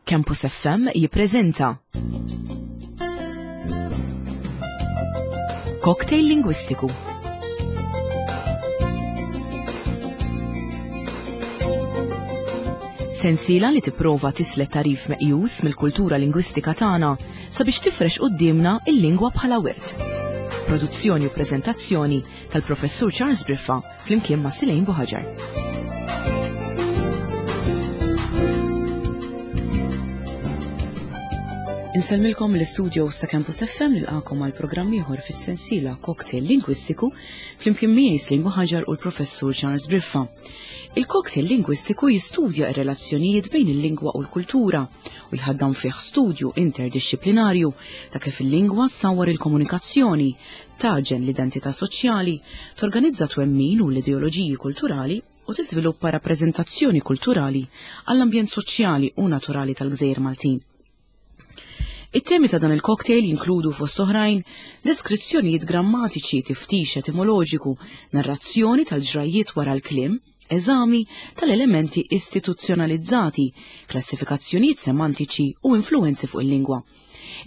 Campus FM jippreżenta Cocktail Lingwistiku. Sensiela li tipprova tislet tarif meqjus mill-kultura lingwistika tagħna sabiex tifrex quddiemna il-lingwa bħala wirt. Produzzjoni u preżentazzjoni tal-Professur Charles Briffa flimkien ma' Silejn Buħaġar. Insellmilkom l-istudio sa' Campus FM nilqakom għal programm ieħor fis-sensiela Cocktail Lingwistiku flimkien miegħi Slin Buħaġar u l-Professur Charles Briffa. Il-cocktail lingwistiku jistudja r-relazzjonijiet bejn il-lingwa u l-kultura u jħaddan fih studju interdixxiplinarju ta' kif il-lingwa ssawwar il-komunikazzjoni, tagħġen l-identità soċjali, torganizza twemmin u l-ideoloġiji kulturali u tiżviluppa rappreżentazzjoni kulturali għall-ambjent soċjali u naturali tal-gżejjer Maltin. It-temi ta' dan il-cocktail jinkludu fost oħrajn deskrizzjonijiet grammatiċi, tiftix etimoloġiku, narrazzjoni tal-ġrajjiet wara l-kliem, eżami tal-elementi istituzzjonalizzati, klassifikazzjonijiet semantiċi u influwenzi fuq il-lingwa.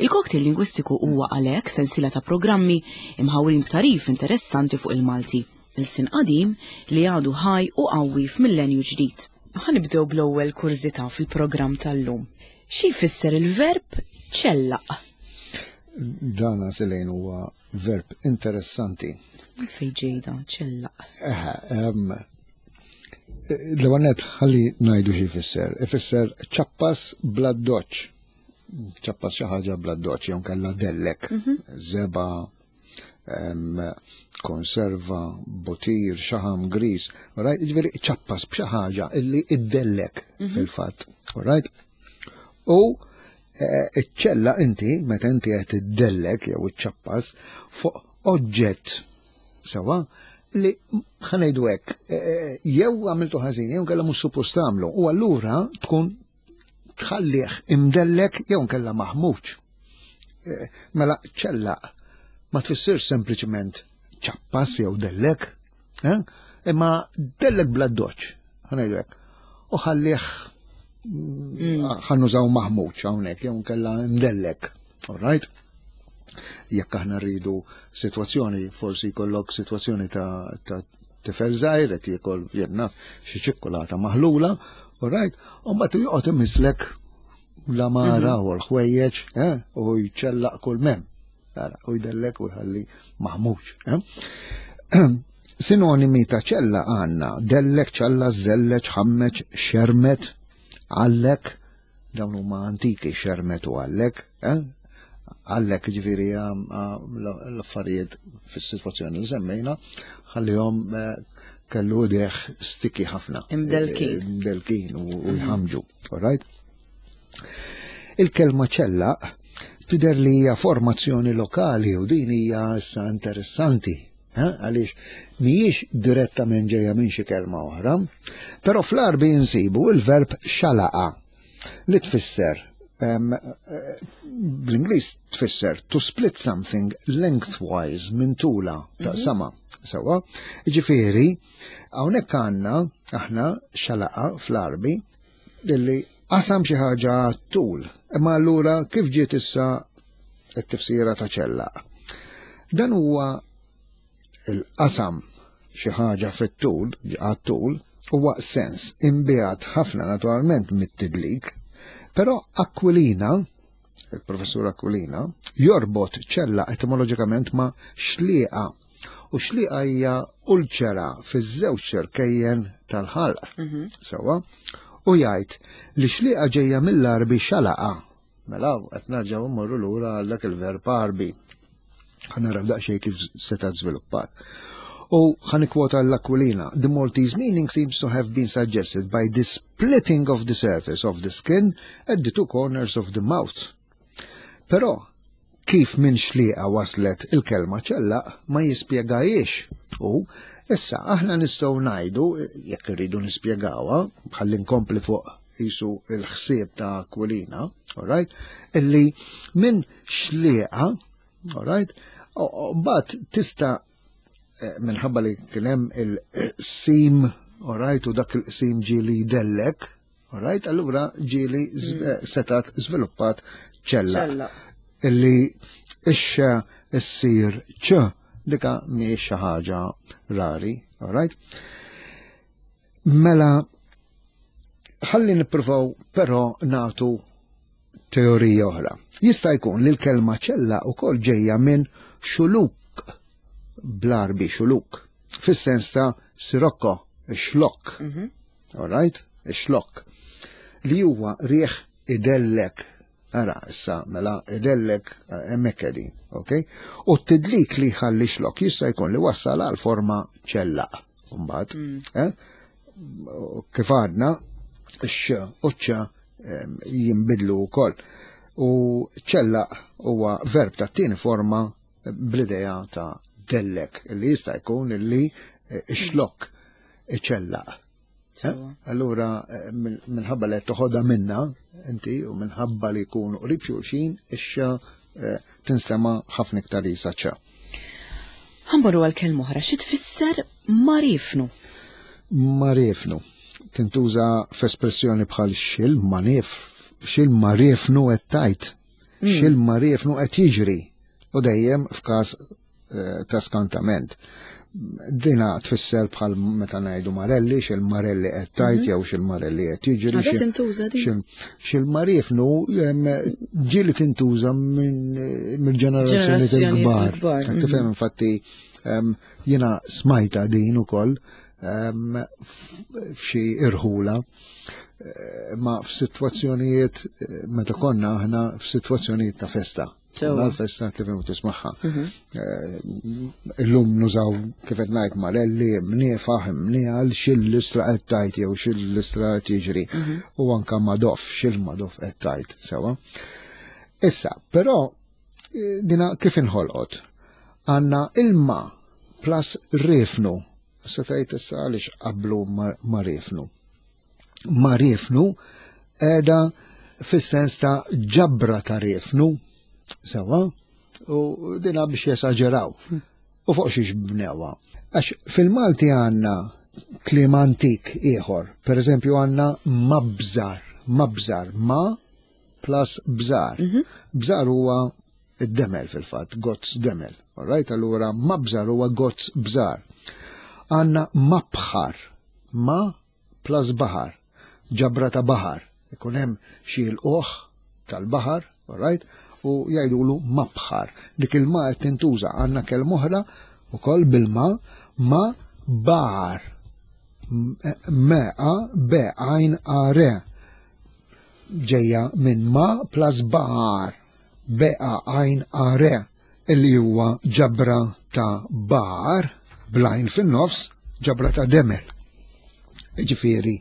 Il-cocktail lingwistiku huwa għalhekk sensiela ta' programmi imħawrin b'tarif interessanti fuq il-Malti, ilsien qadim li għadu ħaj u qawwi f'millenju ġdid. Ħa nibdew bl-ewwel kurżità fil-programm tal-lum. Xi jfisser il-verb ċellaq? Dana Selejn huwa verb interessanti. Fej ġejda, ċellaq. L-għanet ħalli najdu xi jfisser. Ifisser ċappas bla doċ. Ċappas xi ħaġa bla doċ, jew kellha dellek, mhm. zeba, konserva, butir, xaħam, gris, right? Ġifieri ċappas b'xi ħaġa illi iddellek mhm. fil-fatt, right? U eh, iċ-ċella inti, meta inti qed iddellek jew iċċappas fuq oġġett sewa li ħanejdu hekk, eh, eh, jew għamiltu ħażin, jew kellha mhux suppost tagħmlu, u allura tkun tħallih imdellek jew nkella maħmuġ. Eh, mela ċella ma tfissirx sempliċement ċappas jew dellek, eh? imma dellek bla doċ, ħanejdu hekk. U ħallih mm. ħannużaw maħmuġ hawnhekk jew nkella mdellek. All right? Jekk aħna rridu sitwazzjoni, forsi jkollok sitwazzjoni ta', ta tifel żgħir qed jiekol jien naf xi ċikkulata maħlula, all right, u mbagħad joqgħod imislek l-amara mhm. u l-ħwejjeġ, eh, u jċellaq kull mem. Ara, u jdellek u jħalli maħmuġ. Eh? Sinonimi ta' ċella għanna, dellek, ċalla, zelleċ, ħammeċ, xermet, għallek, Dawn huma antiki xermet u għallek, eh? Għallek ġifiri l-affarijiet fis-sitwazzjoni li semmejna, ħallihom eh, kellu deħ stiki ħafna. Imdelkin. Eh, imdelkin u mhm. jħamġu, all right? Il-kelma ċella tidher li hija formazzjoni lokali u din hija issa interessanti eh, għaliex mhijiex direttament ġejja minn xi kelma oħra, però fl-Arbi insibu il-verb xalaqa li tfisser eh, bl-Ingliż tfisser to split something lengthwise minn tula ta' mhm. sama. Sewa, ġifieri, hawnhekk għandna aħna xalaqa fl-Arbi illi qasam xi ħaġa tul. Imma allura kif ġiet issa t-tifsira ta' ċellaq? Dan huwa il-qasam xi ħaġa fit-tul, għat-tul, huwa sens imbiegħed ħafna naturalment mit-tidlik, però Aquilina, il-professur Aquilina, jorbot ċella etimoloġikament ma' xlieqa U xliqa hija ulċera fiż-żewġ xerkejjen tal-ħalq. Mhm. Sewwa? U jgħid li xliqa ġejja mill-Arbi xalaqa. Mela qed nerġgħu mmorru lura għal dak il-verb Arbi. Ħa naraw daqsxejn kif seta' żviluppat. U ħa nikkwota l-Aquilina. The Maltese meaning seems to have been suggested by the splitting of the surface of the skin at the two corners of the mouth. Però kif minn xlieqa waslet il-kelma ċellaq ma jispjegahiex u issa aħna nistgħu ngħidu jekk irridu nispjegawha ħalli nkompli fuq jisu il-ħsieb ta' Aquilina, all right, illi minn xlieqa, all right, mbagħad tista' eh, minħabba li kien hemm il-sim, all right, u dak il-qsim ġie li jdellek. Alright, allura ġieli mm. setat żviluppat ċella. Illi ix issir ċ dika mhijiex xi ħaġa rari, alright? Mela ħalli nippruvaw però nagħtu teorija oħra. Jista' jkun li l-kelma ċella wkoll ġejja minn xuluk bl-Arbi xuluk, fis-sens ta' sirocco, xlokk. Mhm. All right? Xlokk. Li huwa rieħ idellek. Ara, issa, mela, idellek eh, hemmhekk qegħdin, ok? U t-tidlik li jħalli xlokk jista' jkun li wassal għal forma ċellaq. Mbagħad, mm. eh? Kif għadna, x u ċ jinbidlu wkoll. U ċellaq huwa verb ta' tieni forma bl-idea ta' dellek, li jista' jkun li eh, xlok iċellaq. Eh? Allura, eh, minħabba li toħodha minna, inti, u minħabba li jkunu qrib xulxin, ixxa tinstema ħafna iktar jisa ċa. Ħamboru għal kelma oħra, xi tfisser marifnu? Marifnu. Tintuża f'espressjoni bħal xil manif, xil marifnu qed tajt. X'il-mariefnu qed jiġri u dejjem f'każ eh, ta' skantament. Dina tfisser bħal meta ngħidu marelli, x'il-marelli qed tajt mhm. jew x'il-marelli qed jiġri. tintuża din. X'il-mariefnu ġieli tintuża mill-ġenerazzjoni il-kbar. Tifhem mhm. infatti jiena smajta din ukoll f'xi irħula eh, ma f'sitwazzjonijiet eh, meta konna aħna f'sitwazzjonijiet ta' festa. L-festa tifhem u tismagħha. Mhm. Eh, illum nużaw kif qed ngħid marelli, mniefaħ, mniegħal, xil-listra qed tajt jew xil-listra qed jiġri. Mhm. U anka madof, xil-madof qed tajt sewa. Issa, però dina kif inħolqot? Għandna ilma plus rifnu Se tgħid issa għaliex qablu ma riefnu. Ma riefnu qiegħda fis-sens ta' ġabra ta' riefnu, sewa, u dina biex jesaġeraw. U fuq xiex bnewa. Għax fil-Malti għandna kliem antik ieħor, per eżempju għandna mabżar, mabżar, ma plus bżar. Mhm. Bżar huwa id-demel fil-fatt, gozz demel. All right, allura mabżar huwa gozz bżar. Għanna mabħar, ma plus baħar, ġabra ta' baħar. Ikun hemm xi l-oħ tal-baħar, all right, u jgħidulu mabħar. Dik il-ma qed tintuża għandna kelma oħra ukoll bil-ma ma bar. M A B għajn A R ġejja minn ma plus bar. B-A-għajn-A-R, illi huwa ġabra ta' bar bl-għajn fin-nofs, ġabra ta' demel. Ġifieri,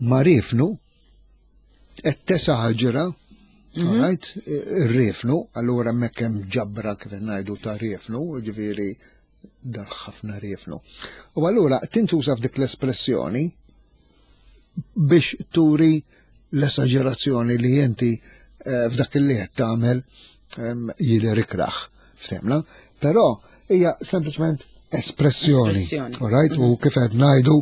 marifnu qed tesaġera, mhm. right, ir-rifnu, allura hemmhekk hemm ġabra kif ngħidu ta' rifnu, ġifieri dar ħafna riefnu. U allura tintuża f'dik l-espressjoni biex turi l-esaġerazzjoni li inti eh, f'dak li qed tagħmel ehm, jidher ikraħ. Ftemna? Però hija sempliċement espressjoni. Right? U mhm. kif qed ngħidu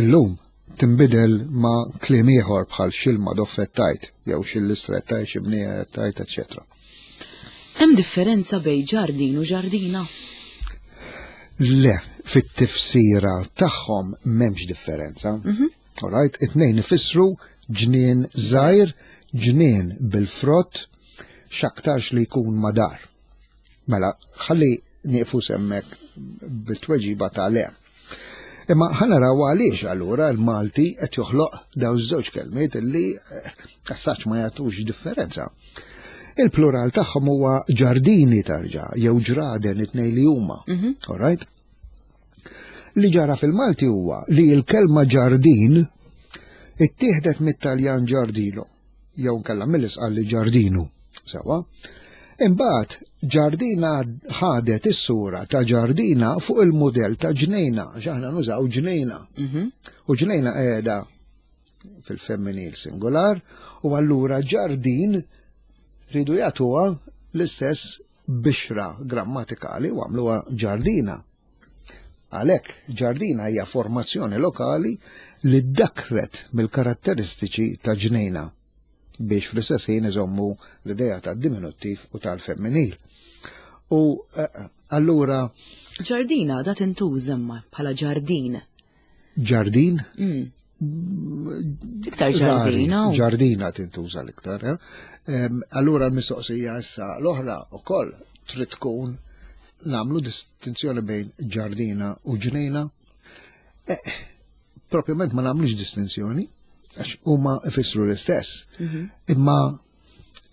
illum tinbidel ma' kliem ieħor bħal xilma doffettajt jew xil-istrettajt xi bniettajt, eċċetera. Hemm differenza bejn ġardin u ġardina? Le, fit-tifsira tagħhom m'hemmx differenza. Mhm. Alright, it-tnejn ifissru ġnien żgħir, ġnien bil-frott, x'aktarx li jkun madar. Mela, ħalli nieqfu semmek bit-tweġiba ta' le. Imma ħa naraw għaliex allura l-Malti qed joħloq daw żewġ kelmiet li eh, assaċ ma jagħtux differenza. Il-plural tagħhom huwa ġardini tarġa' jew ġraden it-tnejn li huma. Mhm. All right? Li ġara fil-Malti huwa li l-kelma ġardin ittieħdet mit-Taljan ġardino jew nkella mill-Isqalli ġardinu. Sewa. Imbagħad ġardina ħadet is-sura ta' ġardina fuq il-mudell ta' ġnejna, x'aħna nużaw ġnejna. Mhm. U ġnejna qiegħda fil-femminil singular u allura ġardin ridu jagħtuha l-istess bixra grammatikali u għamluha ġardina. Għalhekk ġardina hija formazzjoni lokali li ddakret mill-karatteristiċi ta' ġnejna biex fl-istess ħin iżommu l-idea tad-diminuttiv u tal-femminil. U eh, allura Ġardina da tintuża imma bħala ġardin. Ġardin? Mm. Iktar ġardina. Ġardina tintuża l-iktar. Eh? Allura l-mistoqsija issa l-oħra ukoll trid tkun nagħmlu distinzjoni bejn ġardina u ġnejna. Eh, propjament ma nagħmlux distinzjoni, għax huma ifissru l-istess. Mhm. Imma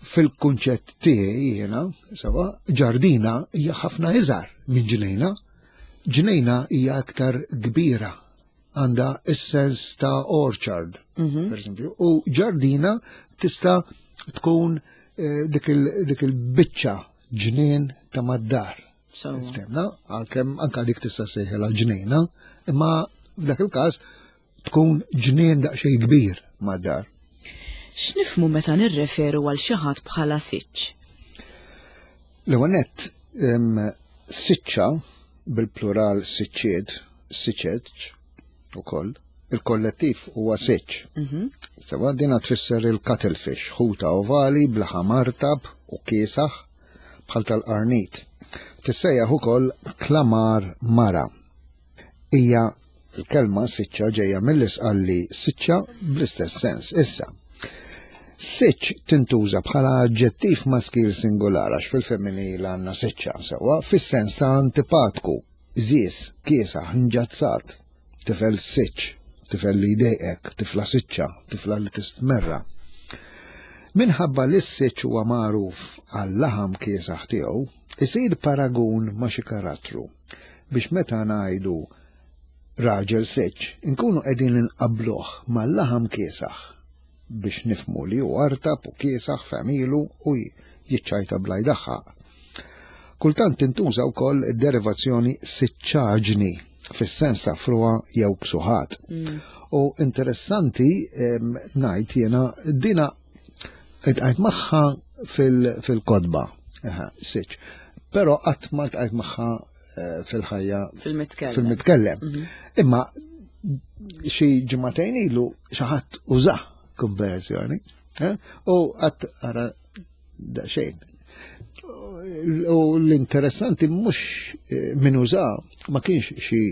fil-kunċett tiegħi jiena, sewa, ġardina hija ħafna iżgħar minn ġnejna. Ġnejna hija aktar kbira għandha is-sens ta' orchard, mhm. per esempio, u ġardina tista' tkun eh, dik il-biċċa ġnien ta' mad-dar. Ftemna, għalkemm anka dik tista' sejħilha ġnejna, imma f'dak il-każ tkun ġnien daqsxejn kbir mad-dar. X'nifhmu meta nirreferu għal xi ħadd bħala siċċ? L-ewwel nett, siċċa bil-plural siċċiet, siċeċ ukoll, il-kollettiv huwa siċċ. Mhm. Sewa dina tfisser il-cuttlefish, ħuta ovali b'laħam artab u kiesaħ bħal tal-qarnit. Tissejjaħ ukoll klamar mara. Hija l-kelma siċċa ġejja mill-Isqalli siċċa bl-istess sens. Issa, siċċ tintuża bħala aġġettiv maskil singular għax fil-femminil għandna siċċa sewwa fis-sens ta' antipatku, żies, kiesaħ, nġazzat, tifel siċċ, tifel li jdejqek, tifla siċċa, tifla li tistmerra. Minħabba li s-siċċ huwa magħruf għal-laħam kiesaħ tiegħu, isir paragun ma' xi karattru biex meta ngħidu raġel seċ, inkunu qegħdin inqabbluh mal-laħam kiesaħ biex nifmu li hu artab u kiesaħ f'għemilu u jiċċajta bla jdaħħaq. Kultant tintuża wkoll id-derivazzjoni siċċaġni fis-sens ta' frugħa jew ksuħat. Mm. U interessanti ngħid jiena dina Iltqajt magħha fil-kotba, siċ. Però qatt ma ltqajt magħha eh, fil-ħajja. Fil-mitkellem. Fil-mitkellem. Mhm. Imma xi ġimagħtejn ilu xi ħadd uża konversjoni eh, u qatt ara daqsxejn. U l-interessanti mhux eh, min uża ma kienx xi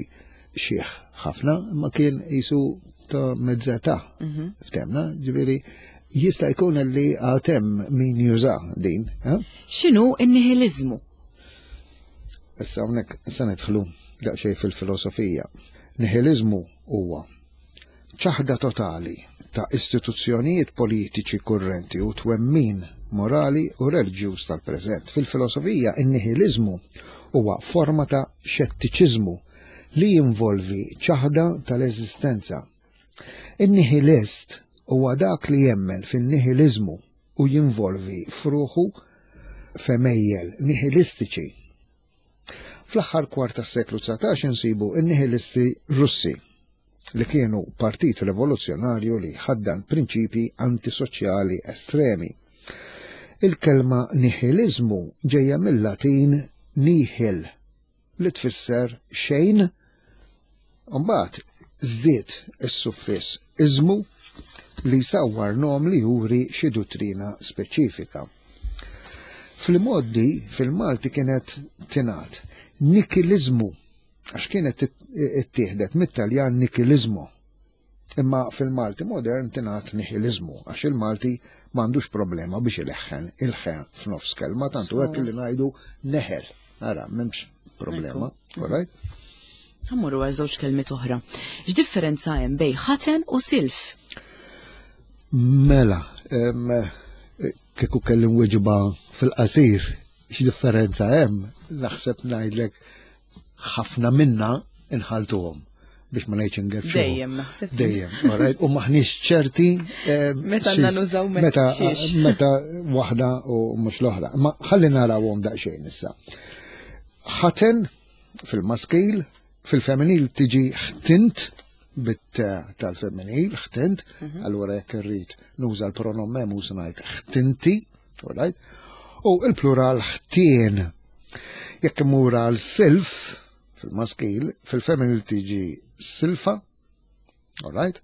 xiħ ħafna, ma kien jisu ta' mezzata. Mhm. Ftemna, ġifieri jista' jkun li għatem min juża din. Eh? X'inhu n-nihilizmu? Issa hawnhekk se nidħlu daqsxejn fil-filosofija. Nihilizmu huwa ċaħda totali ta' istituzzjonijiet politiċi kurrenti u twemmin morali u reliġjuż tal-preżent. Fil-filosofija, in-nihiliżmu huwa forma ta' xettiċiżmu li jinvolvi ċaħda tal-eżistenza. In-nihilist huwa dak li jemmen fin-nihiliżmu u jinvolvi f'ruħu f'għemejjel nihilistiċi. Fl-aħħar kwart tas-seklu 19 insibu n-nihilisti Russi li kienu partit rivoluzzjonarju li ħaddan prinċipji antisoċjali estremi. Il-kelma nihiliżmu ġejja mill-Latin nihil li tfisser xejn, mbagħad żdied is-suffiss iżmu li jsawwar nom li juri xi duttrina speċifika. Fl-imgħoddi fil-Malti kienet tingħad nikiliżmu għax kienet ittieħdet mit-Taljan nikiliżmu. Imma fil-Malti modern tingħad nihiliżmu għax il-Malti m'għandux problema biex ileħħen il-ħe f'nofs kelma tantu hekk li ngħidu neħel. Ara, m'hemmx problema, all right? Ħammurru għal żewġ kelmiet oħra. X'differenza hemm bej ħaten u silf? Mela, kieku kelli nweġiba fil-qasir, x'differenza hemm, naħseb ngħidlek ħafna minna inħaltuhom biex ma ngħidx ingerfxu. Dejjem naħseb. Dejjem, alright, u maħniex ċerti. Meta għandna nużaw meta meta waħda u mhux l-oħra. Ma ħalli narawhom daqsxejn issa. Ħaten fil-maskil, fil-femminil tiġi ħtint bit tal-femminil, ħtint, mhm. allura jekk irrid nuża l-pronom mhux ngħid ħtinti, alright? U il-plural ħtien. Jekk imur għal silf, fil-maskil, fil-femminil tiġi silfa, all right,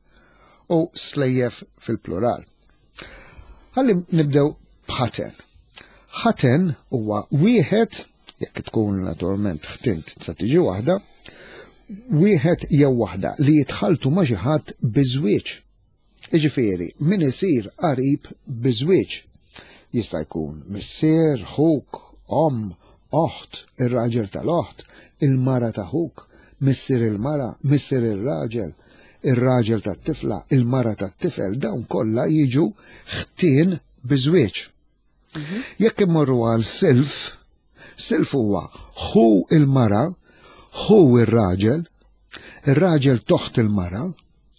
u slejjef fil-plural. Ħalli nibdew b'ħaten. Ħaten huwa wieħed, jekk tkun naturalment ħtint sa tiġi waħda, wieħed jew waħda li jitħaltu ma' xi ħadd biżwieġ. Jiġifieri, min isir qarib biż-żwieġ. Jista' jkun missier, ħuk, omm, oħt, ir-raġel tal-oħt, il-mara ta' ħuk, missier il-mara, missier ir-raġel, ir-raġel tat-tifla, il-mara tat-tifel, dawn kollha jiġu ħtien biż-żwieġ. Mhm. Jekk immorru għal silf, silf huwa ħu il-mara, ħu ir-raġel, ir-raġel toħt il-mara,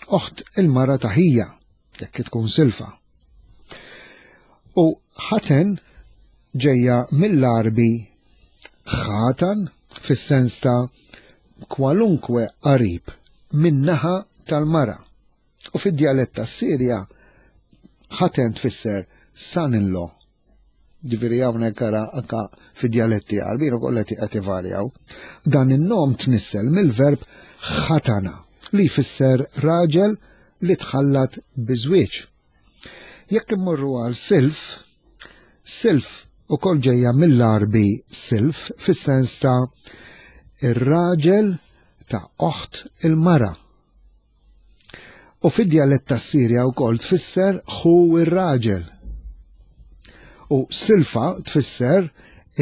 oħt il-mara ta' ħija, jekk tkun silfa. U ħaten ġejja mill-Arbi ħatan fis-sens ta' kwalunkwe qarib min-naħa tal-mara. U fid-djalett tas-Sirja ħaten tfisser son-in-law. Ġifieri hawnhekk ara anka fid-djaletti Għarbin ukoll qed ivarjaw. Dan in-nom tnissel mill-verb ħatana li jfisser raġel li tħallat biż-żwieġ. Jekk immorru għal silf, silf ukoll ġejja mill-Għarbi silf fis-sens ta' ir-raġel ta' oħt il-mara. U fid-djalett tas-Sirja wkoll tfisser ħu ir-raġel. U silfa tfisser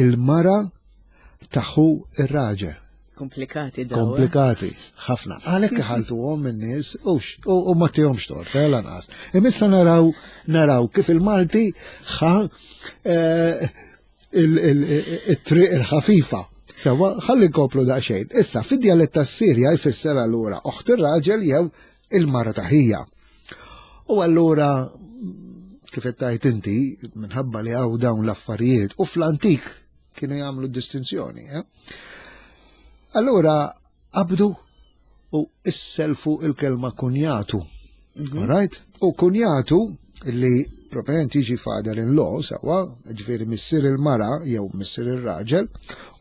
il-mara ta' ħu ir-raġel. Komplikati daw. Eh? Komplikati, ħafna. Għalhekk iħaltuhom in-nies u ma tihomx tort, eh, lanqas. Imissa naraw naraw kif il-Malti ħa eh, it-triq il-ħafifa. Sewa, ħalli nkoplu daqsxejn. Issa, fid-djalett tas-Sirja jfisser allura oħt ir-raġel jew il-mara ta' ħija. U allura kif qed tgħid inti, minħabba li hawn dawn l-affarijiet u fl-antik kienu jagħmlu distinzjoni. Eh? Allura qabdu u isselfu il-kelma kunjatu. Mhm. Right? U kunjatu li proprjament jiġi father in law sewa, ġifieri missier il-mara jew missier ir-raġel,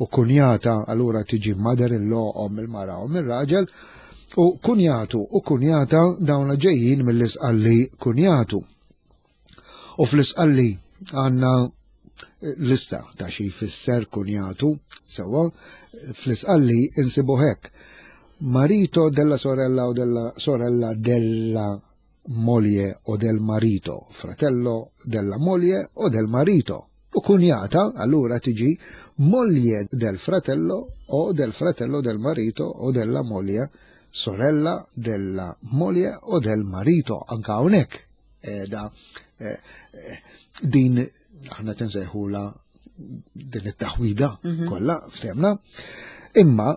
u kunjata allura tiġi mother in law om il-mara om ir-raġel, u kunjatu u kunjata dawn ġejjin mill-isqalli kunjatu. U fl-isqalli għandna eh, lista ta' xi jfisser kunjatu, sewwa, fl-isqalli insibu hekk. Marito della sorella o della sorella della moglie o del marito, fratello della moglie o del marito. U kunjata allura tiġi moglie del fratello o del fratello del marito o della moglie, sorella della moglie o del marito. Anka hawnhekk da eh, eh, din aħna tinsejħula din it-taħwida mhm. kollha ftemna. Imma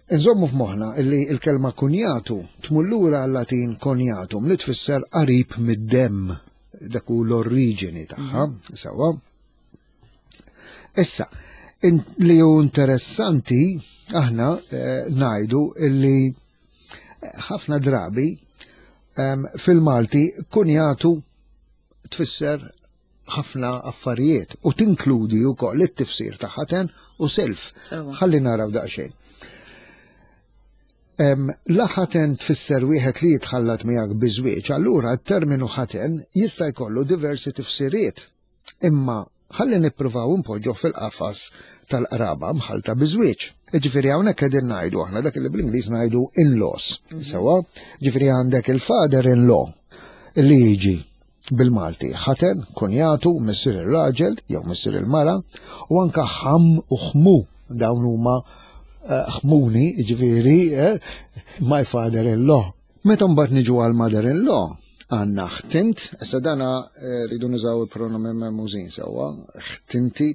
Nżommu f'moħħna li l-kelma kunjatu tmur lura għal-Latin cognatum li tfisser qarib mid-demm dak hu l-oriġini tagħha, mhm. sewwa. Issa, li hu interessanti aħna eh, ngħidu illi ħafna drabi fil-Malti kunjatu tfisser ħafna affarijiet u tinkludi wkoll it-tifsir ta' ħaten u self. Ħalli naraw daqsxejn. La ħaten tfisser wieħed li jitħallat miegħek biżwieġ, allura t-terminu ħaten jista' jkollu diversi tifsiriet. Imma ħalli nippruvaw inpoġġuh fil-qafas tal-qraba mħallta biż-żwieġ. Jiġifieri hawnhekk qegħdin ngħidu aħna dak li bl-Ingliż ngħidu in-laws. Mhm. Sewwa, ġifieri għandek il-father in-law li jiġi bil-Malti ħaten, kunjatu, missier ir-raġel jew missier il-mara, u anka ħam u ħmu dawn huma eh, ħmuni, ġifieri eh, my father in law. Meta mbagħad niġu għal mother in law, għandna ħtint, issa dana eh, rridu nużaw il-pronomi memużin sewwa, ħtinti,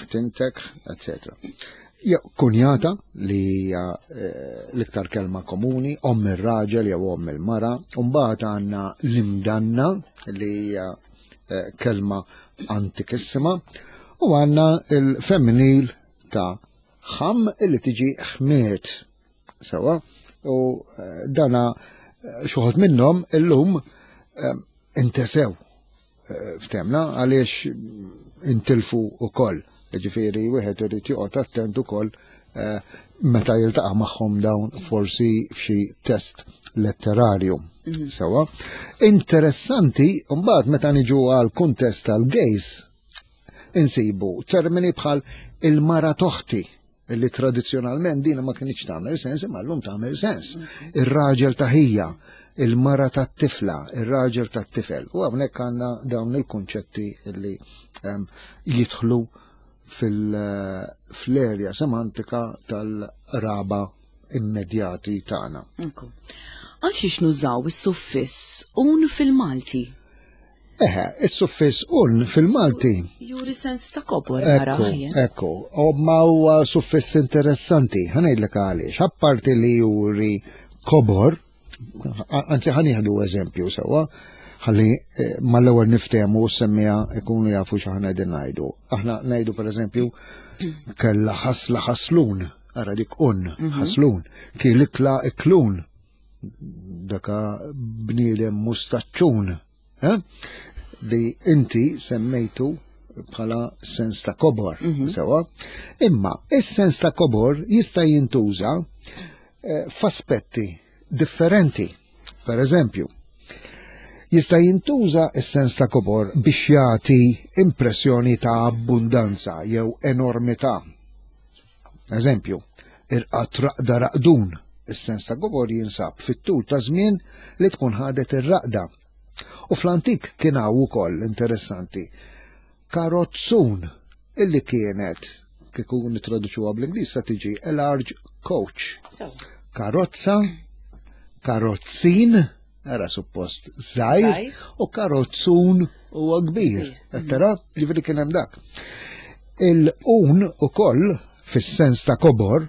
ħtintek, etc. Jew kunjata li hija eh, l-iktar kelma komuni, omm ir-raġel jew omm il-mara, u mbagħad għandna l-imdanna li hija eh, kelma antikissima, u għandna il-femminil ta' ħam li tiġi ħmiet. Sewa, u eh, dana eh, xuħod minnhom illum eh, intesew ftemna għaliex intilfu ukoll. Ġifieri wieħed irid joqgħod attent ukoll eh, meta jiltaqa' magħhom dawn forsi f'xi test letterarju. Mhm. Sewa. Interessanti, mbagħad meta niġu għal kuntest tal-gays, insibu termini bħal il-mara toħti li tradizzjonalment din ma kienx tagħmel sens imma llum tagħmel sens. Mhm. Ir-raġel ta' ħija, il-mara tat-tifla, ir-raġel tat-tifel. U hawnhekk għandna dawn il-kunċetti li ehm, jidħlu fil-erja semantika tal-raba immedjati tagħna. Għal xiex nużaw is-suffiss un fil-Malti? Eħe, is-suffiss un fil-Malti. Juri sens ta' kobor nara. Ekku, u ma huwa suffiss interessanti, ħanejdlek għaliex, apparti li juri kobor, anzi ħanieħdu eżempju sewwa, ħalli eh, mal-ewwel niftehmu u semmija ikunu jafu x'aħna qegħdin ngħidu. Aħna ngħidu pereżempju kella ħasla ħaslun, ara dik un, mhm. ħaslun, kielikla iklun, daka bniedem mustaċċun, eh? li inti semmejtu bħala sens ta' kobor, mhm. sewa. Imma is-sens ta' kobor jista' jintuża eh, f'aspetti differenti. Per eżempju, jista' jintuża s-sens ta' kobor biex jagħti impressjoni ta' abbundanza jew enormità. Eżempju, irqad raqda raqdun, is-sens ta' kobor jinsab fit-tul ta' żmien li tkun ħadet ir-raqda. U fl-antik kien hawn ukoll interessanti karozzun illi kienet kieku nitraduċuha bl-Ingliż sa tiġi a large coach. Karozza, karozzin, era suppost żgħir, u karozzun huwa kbir. Tara, ġifieri kien hemm dak. Il-un ukoll fis-sens ta' kobor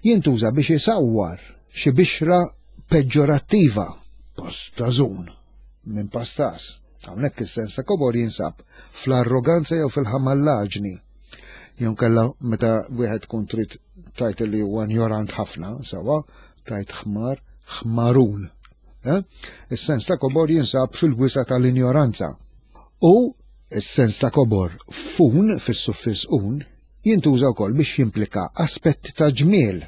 jintuża biex isawwar xi bixra peġġorattiva, pastażun minn pastas. Hawnhekk is-sens ta' kobor jinsab fl-arroganza jew fil-ħamallaġni. Jew kella meta wieħed tkun trid tajt li huwa ignorant ħafna, sewa, tajt ħmar, ħmarun. Eh? Is-sens ta' kobor jinsab fil-wisa tal-injoranza. U is-sens ta' kobor fun fis-suffiss un jintuża wkoll biex jimplika aspetti ta' ġmiel.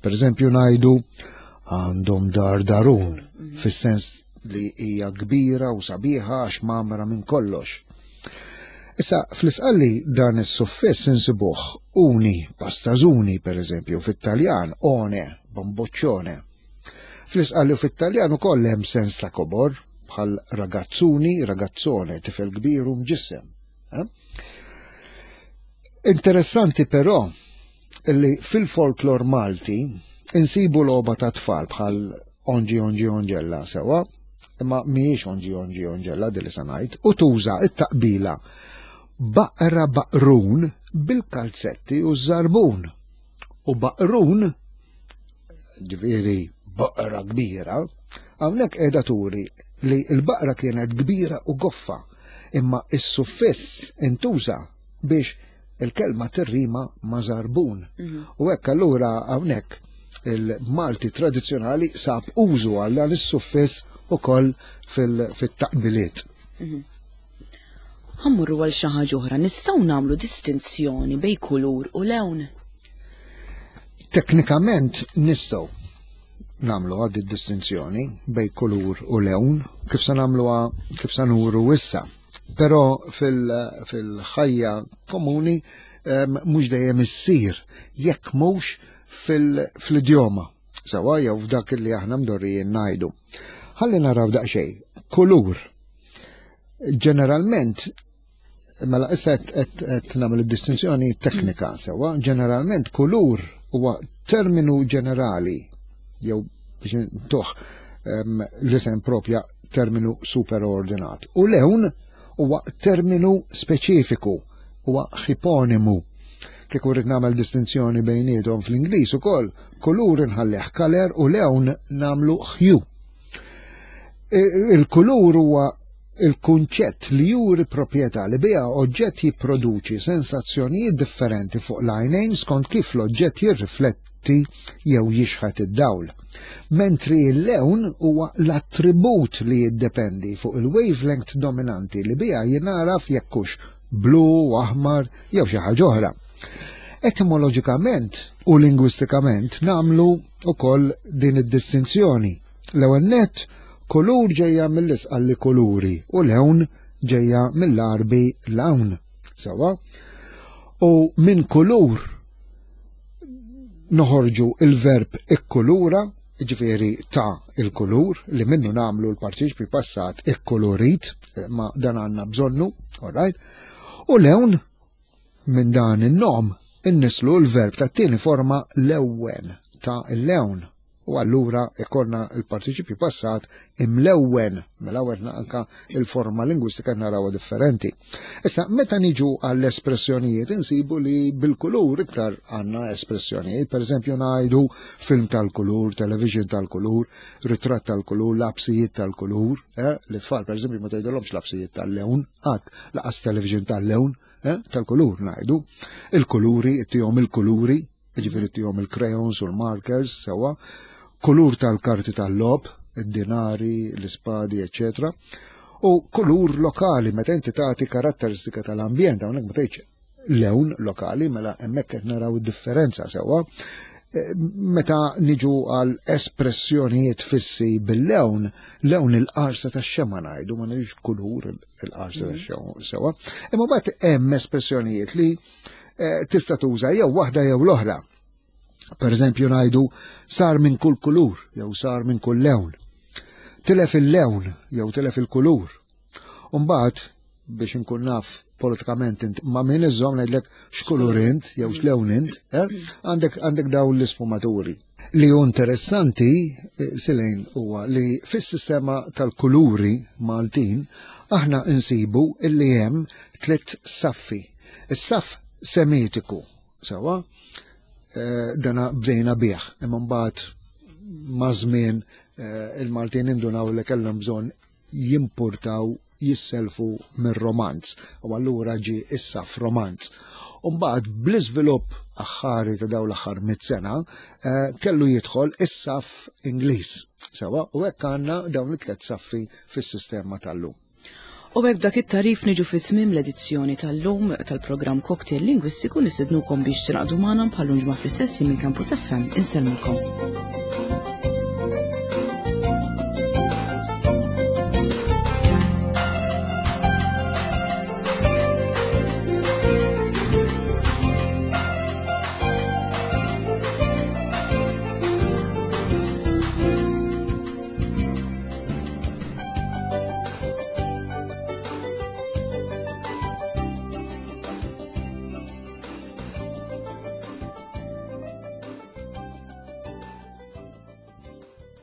Per eżempju ngħidu għandhom dar darun mhm. fis-sens li hija kbira u sabiħa għax mamra minn kollox. Issa, fl-isqalli dan is-suffiss insibuh uni, pastażuni per eżempju, fit-Taljan one, bamboccione. Fl-isqalli u fit-Taljan ukoll hemm sens ta' kobor, bħal ragazzuni, ragazzone, tifel kbir u mġissem. Eh? Interessanti però li fil-folklor Malti insibu logħba ta' tfal bħal onġi onġi onġella sewa, imma mhijiex onġi onġi onġella din li se ngħid, u tuża t-taqbila baqra baqrun bil-kalzetti u ż-żarbun. U baqrun, ġifieri baqra kbira, hawnhekk qiegħda turi li l-baqra kienet kbira u goffa, imma is-suffiss intuża biex il-kelma tirrima ma' żarbun. Mhm. U hekk allura hawnhekk il-Malti tradizzjonali sab użu għal dan is-suffiss ukoll fil-taqbiliet. Mhm. Ħammurru għal xi ħaġa oħra, nistgħu nagħmlu distinzjoni bej kulur u lewn? Teknikament nistgħu nagħmlu għad distinzjoni bej kulur u lewn kif se nagħmluha kif se nuru issa. Però fil-ħajja komuni mhux dejjem issir jekk mhux fil-idjoma sewa jew f'dak li aħna mdorrijin ngħidu. Ħalli naraw daqsxejn. Kulur. Ġeneralment mela issa qed nagħmel id-distinzjoni teknika sewa, ġeneralment kulur huwa terminu ġenerali jew biex ntuh l-isem propja terminu superordinat. U lewn huwa terminu speċifiku, huwa ħiponimu. Kieku rrid nagħmel distinzjoni bejniethom fl-Ingliż ukoll, kulur inħallih kaler u lewn nagħmlu hue. Il-kulur huwa il-kunċett li juri proprjetà li biha oġġett jipproduċi sensazzjonijiet differenti fuq l-għajnejn skont kif l-oġġett jirrifletti jew jixħet id-dawl. Mentri l-lewn huwa l-attribut li jiddependi fuq il-wavelength dominanti li biha jingħaraf jekk hux blu, aħmar jew xi ħaġa oħra. Etimoloġikament u lingwistikament nagħmlu ukoll din id-distinzjoni. L-ewwel nett, kulur ġejja mill-Isqalli kuluri u lewn ġejja mill-Għarbi lawn. Sewwa? U minn kulur noħorġu il-verb ikkulura, ġifieri ta' il-kulur, li minnu nagħmlu l-partiċipju passat ikkulurit, eh, ma dan għandna bżonnu, all right? U lewn minn dan in-nom innislu l-verb tat-tieni forma lewwen ta' il-lewn. U allura ikollna l-partiċipju passat imlewwen, mela għedna anka il-forma lingwistika narawha differenti. Issa, meta niġu għall-espressjonijiet insibu li bil-kulur iktar għandna espressjonijiet, per eżempju ngħidu film tal-kulur, television tal-kulur, ritratt tal-kulur, lapsijiet tal-kulur, eh? l-tfal per eżempju ma tgħidulhomx lapsijiet tal-lewn, qatt laqas television tal-lewn, eh? tal-kulur ngħidu. Il-kuluri, ittihom il-kuluri, Ġifieri tihom il-crayons u l-markers sewwa, kulur tal-karti tal-logħob, id-dinari, l-ispadi, eċċetera. U kulur lokali meta inti tagħti karatteristika tal-ambjent, hawnhekk ma tgħidx lewn lokali, mela hemmhekk qed naraw id-differenza sewwa. Eh, meta niġu għal espressjonijiet fissi bil-lewn, lewn il-qarsa tax xema ngħidu, ma ngħidux kulur il-qarsa tax xema sewwa. Imma mbagħad hemm espressjonijiet li Eh, tista' tuża jew waħda jew l-oħra. Per eżempju ngħidu sar minn kull kulur jew sar minn kull lewn. Tilef il-lewn jew tilef il-kulur. Umbagħad biex inkun naf politikament int ma' min iżżomm ngħidlek x'kulur int jew x'lewn int, eh? għandek għandek dawn l-isfumaturi. Li hu interessanti, eh, Silejn, huwa li fis-sistema tal-kuluri Maltin aħna insibu illi hemm tliet saffi. Is-saff semitiku, sewa, eh, dana bdejna bih, imma mbagħad ma' żmien eh, il-Maltin indunaw li kellhom bżonn jimpurtaw jisselfu mir-romanz u allura ġie is-saff romanz. U mbagħad bl-iżvilupp aħħari ta' dawn l-aħħar mit sena eh, kellu jidħol is-saff Ingliż. Sewa, u hekk għandna dawn it-tliet saffi fis-sistema tal-lum. U hekk dak it-tarif niġu fi tmiem l-edizzjoni tal-lum tal-programm Cocktail Lingwistiku nistednukom biex tingħaqdu magħna bħal ġimgħa fl-istess minn Campus FM. Insellmulkom.